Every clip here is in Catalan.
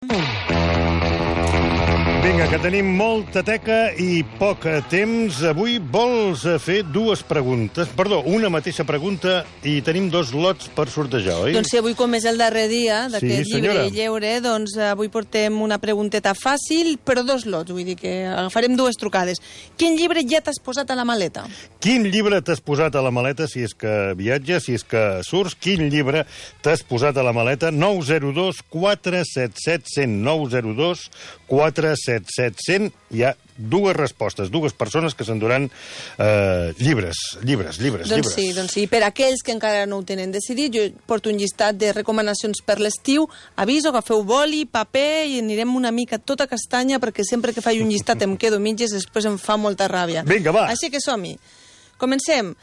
Vinga, que tenim molta teca i poc temps. Avui vols fer dues preguntes, una mateixa pregunta, i tenim dos lots per sortejar, oi? Doncs sí, avui com és el darrer dia d'aquest llibre i lleure, doncs avui portem una pregunteta fàcil, però dos lots, vull dir que agafarem dues trucades. Quin llibre ja t'has posat a la maleta? Quin llibre t'has posat a la maleta, si és que viatges, si és que surts? Quin llibre t'has posat a la maleta? 902 477 100, 902 477 100. Hi ha dues respostes, dues persones que s'enduran llibres. Doncs sí, per aquells que encara no ho tenen decidit, jo porto un llistat de recomanacions per l'estiu. Aviso, agafeu boli, paper i anirem una mica tota castanya, perquè sempre que faig un llistat em quedo mitges, després em fa molta ràbia. Vinga, va! Així que som-hi. Comencem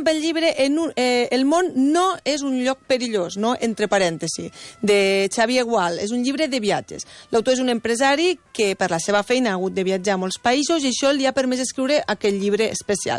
pel llibre El món no és un lloc perillós, no? Entre parèntesis, de Xavier Gual. És un llibre de viatges. L'autor és un empresari que per la seva feina ha hagut de viatjar a molts països i això li ha permès escriure aquest llibre especial.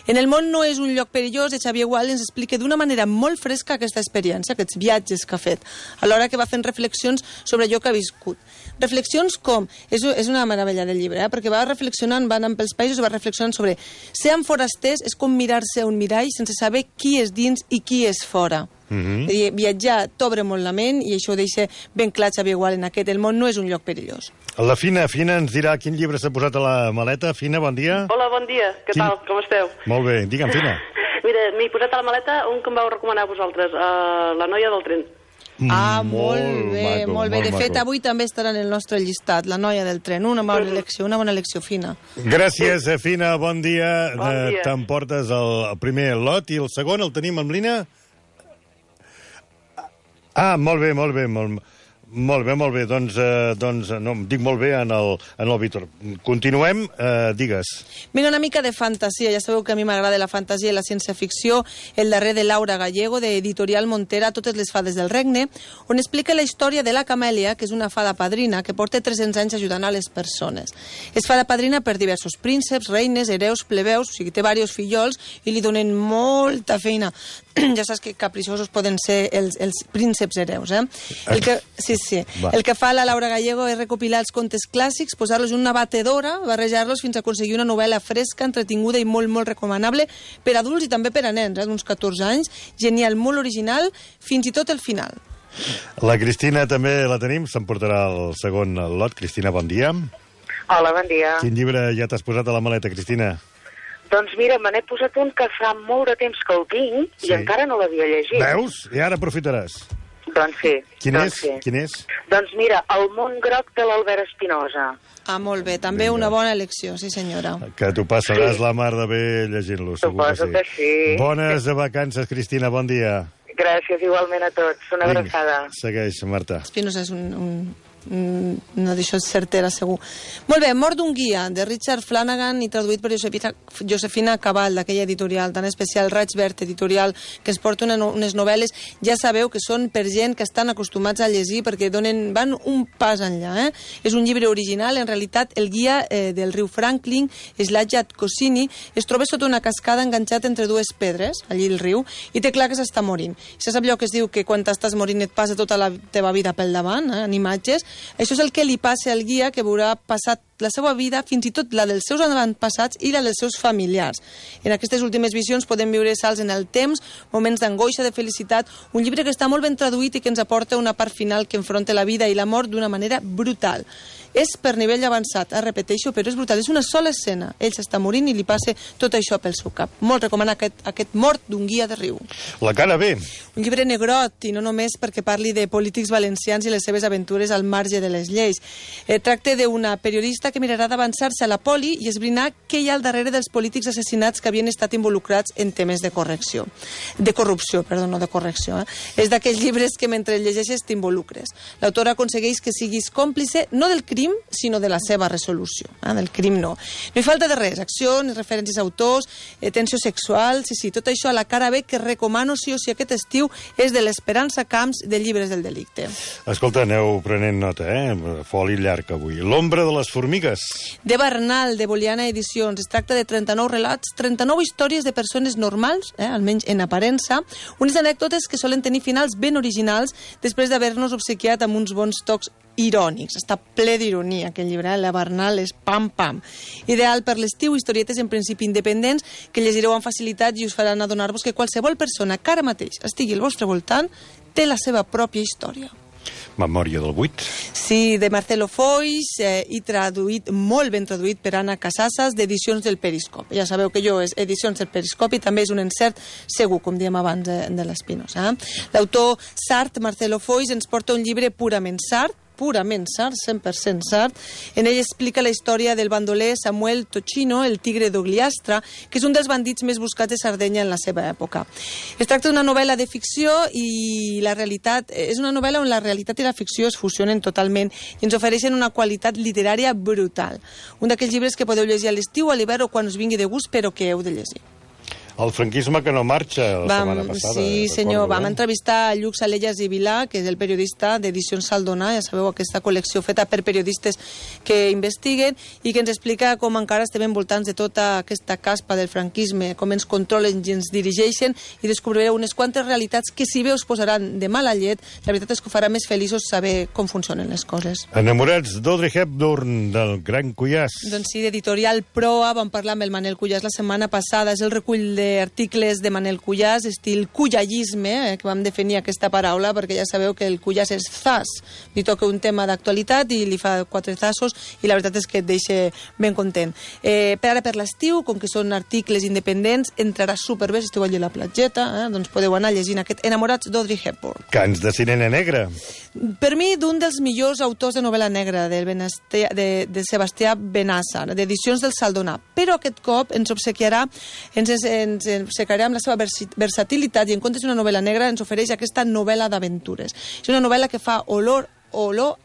En el món no és un lloc perillós, de Xavier Gual ens explica d'una manera molt fresca aquesta experiència, aquests viatges que ha fet, alhora que va fent reflexions sobre allò que ha viscut. Reflexions com... És una meravella del llibre, perquè va reflexionant, va anant pels països i va reflexionant sobre... Ser forasters és com mirar-se a un mirall sense saber qui és dins i qui és fora. Viatjar t'obre molt la ment i això ho deixa ben clar Xavier Gual en aquest El món no és un lloc perillós. La Fina ens dirà quin llibre s'ha posat a la maleta. Fina, bon dia. Hola, bon dia. Què tal? Com esteu? Molt bé. Digue'm, Fina. Mira, m'he posat a la maleta un que em vau recomanar a vosaltres, La noia del tren. Molt bé. De fet, avui també estarà en el nostre llistat, La noia del tren. Una bona elecció, Fina. Gràcies, Fina. Bon dia. Bon dia. T'emportes el primer lot i el segon el tenim amb l'Ina? Molt bé. Doncs no, em dic molt bé en el Víctor. Continuem, digues. Vinga, una mica de fantasia. Ja sabeu que a mi m'agrada la fantasia i la ciència-ficció. El darrer de Laura Gallego, de Editorial Montera, Totes les fades del regne, on explica la història de la Camèlia, que és una fada padrina que porta 300 anys ajudant a les persones. És fada padrina per diversos prínceps, reines, hereus, plebeus, o sigui, té diversos fillols i li donen molta feina. Ja saps que caprichosos poden ser els prínceps hereus, eh? El que fa la Laura Gallego és recopilar els contes clàssics, posar-los en una batedora, barrejar-los fins a aconseguir una novel·la fresca, entretinguda i molt, molt recomanable per adults i també per a nens, d'uns 14 anys. Genial, molt original, fins i tot el final. La Cristina també la tenim, s'emportarà el segon lot. Cristina, bon dia. Hola, bon dia. Quin llibre ja t'has posat a la maleta, Cristina? Doncs mira, me n'he posat un que fa molt de temps que el tinc i encara no l'havia llegit. Veus? I ara aprofitaràs. Doncs sí. Quin és? Doncs mira, El món groc de l'Albert Espinosa. Molt bé, també una bona elecció, sí senyora. Que t'ho passaràs la mar de bé llegint-lo, segur que sí. Bones vacances, Cristina, bon dia. Gràcies, igualment a tots. Una abraçada. Segueix, Marta. Espinosa és no d'això és certera, segur. Molt bé, Mort d'un guia, de Richard Flanagan i traduït per Josefina Cabal, d'aquella editorial tan especial, Raig Verd Editorial, que ens porta unes novel·les, ja sabeu que són per gent que estan acostumats a llegir perquè van un pas enllà. És un llibre original, en realitat el guia del riu Franklin, Slajat Kosini, es troba sota una cascada enganxat entre dues pedres, allí al riu, i té clar que s'està morint. Se sap allò que es diu que quan t'estàs morint et passa tota la teva vida pel davant, en imatges. Això és el que li passa al guia, que veurà passat la seva vida, fins i tot la dels seus avantpassats i la dels seus familiars. En aquestes últimes visions podem viure salts en el temps, moments d'angoixa, de felicitat, un llibre que està molt ben traduït i que ens aporta una part final que enfronta la vida i la mort d'una manera brutal. És per nivell avançat, repeteixo, però és brutal. És una sola escena. Ell s'està morint i li passa tot això pel seu cap. Molt recomana aquest Mort d'un guia de riu. La cara bé. Un llibre negrot, i no només perquè parli de polítics valencians i les seves aventures al marge de les lleis. Tracta d'una periodista que mirarà d'avançar-se a la poli i esbrinar què hi ha al darrere dels polítics assassinats que havien estat involucrats en temes de corrupció. És d'aquells llibres que mentre llegeixes t'involucres. L'autora aconsegueix que siguis còmplice no del crim, sinó de la seva resolució. Del crim no. No hi falta de res, acció, ni referències a autors, tensió sexual, sí, tot això a la cara B que recomano sí o sí aquest estiu és de l'Esperança Camps de Llibres del Delicte. Escolta, aneu prenent nota, foli llarg avui. L'ombra de les formigues. De Bernal, de Boliana Edicions. Es tracta de 39 relats, 39 històries de persones normals, almenys en aparença, unes anècdotes que solen tenir finals ben originals després d'haver-nos obsequiat amb uns bons tocs irònics. Està ple d'ironia, aquest llibre. La Barnal és pam-pam. Ideal per l'estiu, historietes en principi independents que llegireu amb facilitat i us faran adonar-vos que qualsevol persona que ara mateix estigui al vostre voltant té la seva pròpia història. Memòria del 8. Sí, de Marcelo Foix i traduït, molt ben traduït per Anna Casasas, d'Edicions del Periscopi. Ja sabeu que jo és Edicions del Periscopi, també és un encert segur, com diem abans de l'Espinosa. L'autor sard, Marcelo Foix, ens porta un llibre purament sard, 100% sard. En ell explica la història del bandoler Samuel Tocino, el tigre d'Ogliastra, que és un dels bandits més buscats de Sardenya en la seva època. Es tracta d'una novel·la de ficció i la realitat és una novel·la on la realitat i la ficció es fusionen totalment i ens ofereixen una qualitat literària brutal. Un d'aquells llibres que podeu llegir a l'estiu, a l'hivern o quan us vingui de gust, però que heu de llegir. El franquisme que no marxa la setmana passada. Sí, senyor. Vam entrevistar a Lluc Salellas i Vilà, que és el periodista d'Edicions Saldona, ja sabeu, aquesta col·lecció feta per periodistes que investiguen i que ens explica com encara estem envoltants de tota aquesta caspa del franquisme, com ens controlen i ens dirigeixen, i descobrireu unes quantes realitats que, si bé us posaran de mala llet, la veritat és que ho farà més feliços saber com funcionen les coses. Enamorats d'Audrey Hepburn, del Gran Cuyàs. Doncs sí, d'Editorial Proa, vam parlar amb el Manel Cuyàs la setmana passada, és el recull d'articles de Manel Cuyàs, estil cuyallisme, que vam definir aquesta paraula, perquè ja sabeu que el Cuyàs és zas, li toca un tema d'actualitat i li fa 4 zassos, i la veritat és que et deixa ben content. Per ara, per l'estiu, com que són articles independents, entrarà superbé, si esteu allà a la platgeta, doncs podeu anar llegint aquest Enamorats d'Audrey Hepburn. Cants de Sirena Negra. Per mi, d'un dels millors autors de novel·la negra, de Sebastià Benàssar, d'Edicions del Saldonà, però aquest cop ens obsequiarà, ens obsequiarà amb la seva versatilitat i en comptes d'una novel·la negra ens ofereix aquesta novel·la d'aventures. És una novel·la que fa olor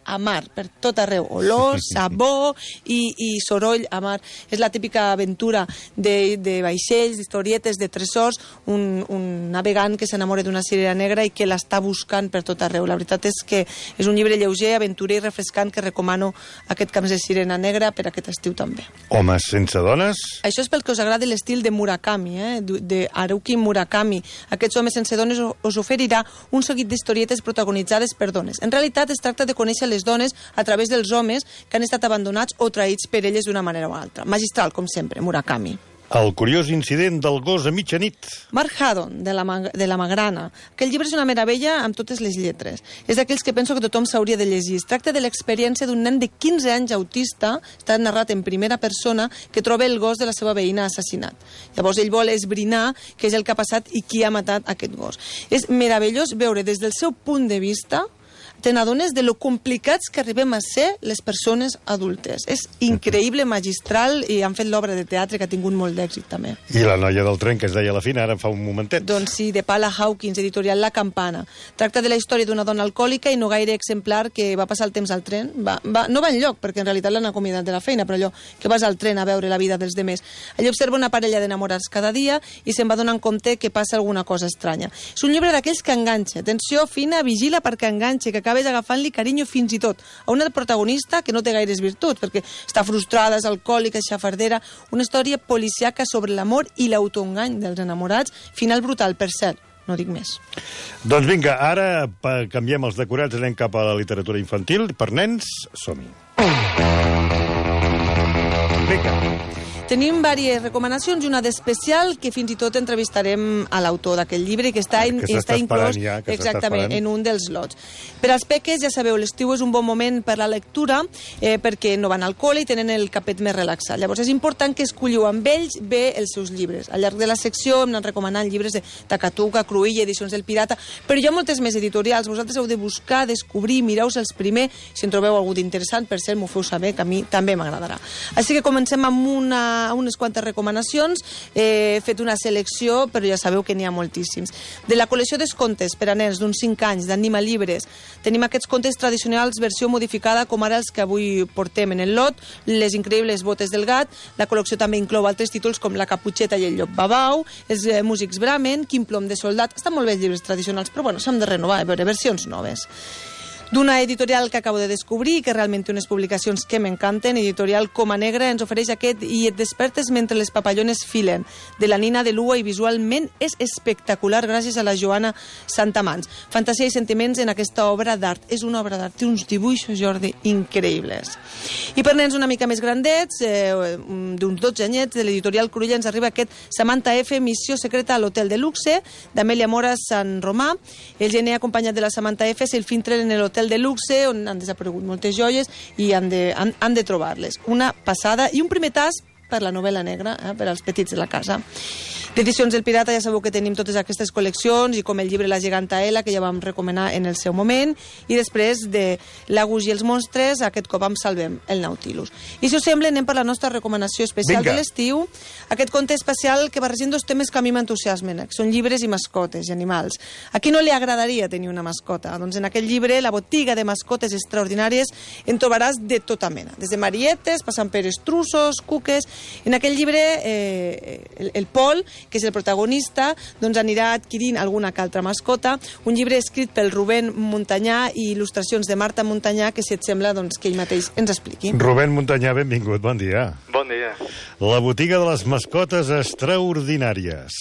a mar, per tot arreu. Olor, sabor i soroll a mar. És la típica aventura de vaixells, d'historietes, de tresors, un navegant que s'enamora d'una sirena negra i que l'està buscant per tot arreu. La veritat és que és un llibre lleuger, aventurer i refrescant que recomano aquest Camps de Sirena Negra per aquest estiu també. Homes sense dones. Això és pel que us agrada l'estil de Murakami, de Haruki Murakami. Aquests Homes sense dones us oferirà un seguit d'historietes protagonitzades per dones. En realitat es tracta de conèixer les dones a través dels homes que han estat abandonats o traïts per elles d'una manera o altra. Magistral, com sempre, Murakami. El curiós incident del gos a mitjanit. Mark Haddon, de la Magrana. Aquest llibre és una meravella amb totes les lletres. És d'aquells que penso que tothom s'hauria de llegir. Es tracta de l'experiència d'un nen de 15 anys autista, està narrat en primera persona, que troba el gos de la seva veïna assassinat. Llavors ell vol esbrinar què és el que ha passat i qui ha matat aquest gos. És meravellós veure des del seu punt de vista te n'adones de lo complicats que arribem a ser les persones adultes. És increïble, magistral, i han fet l'obra de teatre que ha tingut molt d'èxit també. I la noia del tren que es deia a la fina ara fa un momentet. Doncs sí, de Paula Hawkins, editorial La Campana. Tracta de la història d'una dona alcohòlica i no gaire exemplar que va passar el temps al tren. No va enlloc, perquè en realitat l'han acomiadat de la feina, però allò que vas al tren a veure la vida dels demés. Allà observa una parella d'enamorats cada dia i se'n va donant compte que passa alguna cosa estranya. És un llibre d'aquells que enganxa. Atenció fina, vigila perquè enganxa, que acabes agafant-li carinyo fins i tot a una protagonista que no té gaires virtuts, perquè està frustrada, és alcohòlica, és xafardera. Una història policiaca sobre l'amor i l'autoengany dels enamorats. Final brutal, per cert. No dic més. Doncs vinga, ara canviem els decorats, anem cap a la literatura infantil. Per nens, som-hi. Vinga. Tenim diverses recomanacions i una d'especial que fins i tot entrevistarem a l'autor d'aquest llibre que està inclòs exactament en un dels lots. Per als peques, ja sabeu, l'estiu és un bon moment per la lectura perquè no van al col·le i tenen el capet més relaxat. Llavors és important que escolliu amb ells bé els seus llibres. Al llarg de la secció hem anat recomanant llibres de Takatuka, Cruïlla, Edicions del Pirata, però hi ha moltes més editorials. Vosaltres heu de buscar, descobrir, mireu-se'ls primer. Si en trobeu algú d'interessant, per cert, m'ho feu saber, que a mi també m'agradarà. Així que comencem amb unes quantes recomanacions. He fet una selecció, però ja sabeu que n'hi ha moltíssims. De la col·lecció d'escontes per a nens d'uns 5 anys d'Anima Llibres, tenim aquests contes tradicionals versió modificada, com ara els que avui portem en el lot, Les increïbles botes del gat. La col·lecció també inclou altres títols com La caputxeta i el llop babau, Els músics Brahmin, Quin plom de soldat. Estan molt bé els llibres tradicionals, però bueno, s'han de renovar, a veure, versions noves. D'una editorial que acabo de descobrir i que realment té unes publicacions que m'encanten, editorial Coma Negra, ens ofereix aquest I et despertes mentre les papallones filen, de la Nina de Lua, i visualment és espectacular gràcies a la Joana Santamans. Fantasia i sentiments en aquesta obra d'art. És una obra d'art, té uns dibuixos, Jordi, increïbles. I per nens una mica més grandets, d'uns 12 anyets, de l'editorial Cruïlla, ens arriba aquest Samantha F, Missió secreta a l'Hotel de Luxe, d'Amèlia Mora Sant Romà. El gener acompanyat de la Samantha F s'infiltren en l'Hotel de Luxe, on han desaparegut moltes joies i han de trobar-les. Una passada i un primer tas per la novel·la negra, per als petits de la casa. D'Edicions del Pirata ja sabeu que tenim totes aquestes col·leccions, i com el llibre La geganta Ela, que ja vam recomanar en el seu moment, i després de L'Agus i els monstres, aquest cop amb Salvem el Nautilus. I si us sembla, anem per la nostra recomanació especial de l'estiu, aquest conte especial que barregem dos temes que a mi m'entusiasmen, que són llibres i mascotes i animals. A qui no li agradaria tenir una mascota? Doncs en aquest llibre, La botiga de mascotes extraordinàries, en trobaràs de tota mena, des de marietes, passant per estrussos, cuques. En aquest llibre, el Pol, que és el protagonista, doncs anirà adquirint alguna que altra mascota. Un llibre escrit pel Rubén Montanyà i il·lustracions de Marta Montanyà, que si et sembla doncs, que ell mateix ens expliqui. Rubén Montanyà, benvingut, bon dia. Bon dia. La botiga de les mascotes extraordinàries.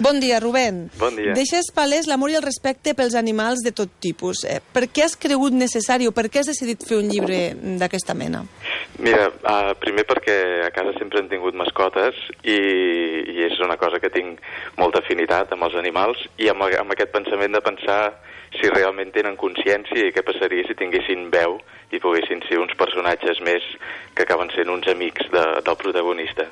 Bon dia, Rubén. Bon dia. Deixes palès l'amor i el respecte pels animals de tot tipus. Per què has cregut necessari o per què has decidit fer un llibre d'aquesta mena? Mira, primer perquè a casa sempre hem tingut mascotes i és una cosa que tinc molta afinitat amb els animals, i amb aquest pensament de pensar si realment tenen consciència i què passaria si tinguessin veu i poguessin ser uns personatges més que acaben sent uns amics del protagonista.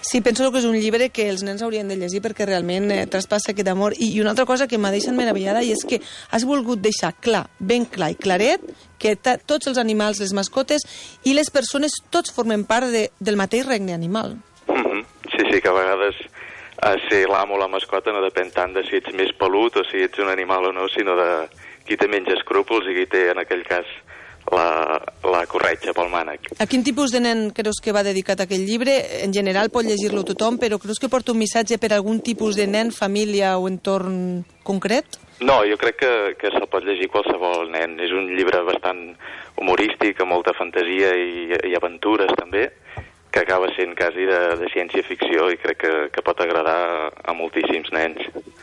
Sí, penso que és un llibre que els nens haurien de llegir perquè realment traspassa aquest amor. I una altra cosa que m'ha deixat meravellada, i és que has volgut deixar clar, ben clar i claret, que tots els animals, les mascotes i les persones, tots formen part del mateix regne animal. Sí, que a vegades ser l'amo o la mascota no depèn tant de si ets més pelut o si ets un animal o no, sinó de qui té menys escrúpols i qui té, en aquell cas, la corretja pel mànec. A quin tipus de nen creus que va dedicat a aquell llibre? En general pot llegir-lo tothom, però creus que porta un missatge per algun tipus de nen, família o entorn concret? No, jo crec que se'l pot llegir qualsevol nen. És un llibre bastant humorístic, amb molta fantasia i aventures també, que acaba sent quasi de ciència-ficció, i crec que pot agradar a moltíssims nens.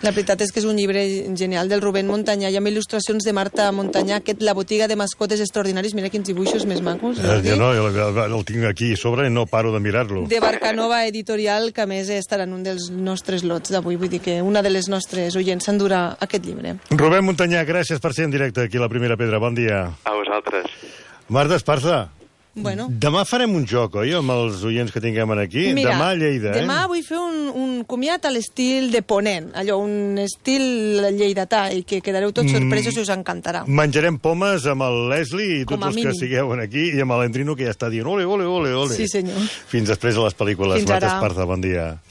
La veritat és que és un llibre genial del Rubén Montanyà, i amb il·lustracions de Marta Montanyà, La botiga de mascotes extraordinaris. Mira quins dibuixos més macos. Jo no, el tinc aquí sobre i no paro de mirar-lo. De Barcanova Editorial, que a més estarà en un dels nostres lots d'avui, vull dir que una de les nostres oients s'endurà aquest llibre. Rubén Montanyà, gràcies per ser en directe aquí a La Primera Pedra. Bon dia. A vosaltres. Marta Esparza. Bueno. Demà farem un joc, oi, amb els oients que tinguem aquí? Mira, demà a Lleida, demà vull fer un comiat a l'estil de Ponent, allò, un estil lleidatà, i que quedareu tots sorpresos i us encantarà. Menjarem pomes amb el Leslie i Com tots els que sigueu aquí, i amb l'Endrino, que ja està dient ole, ole, ole, ole. Sí, senyor. Fins després a les pel·lícules. Fins ara. Marta Esparza, bon dia.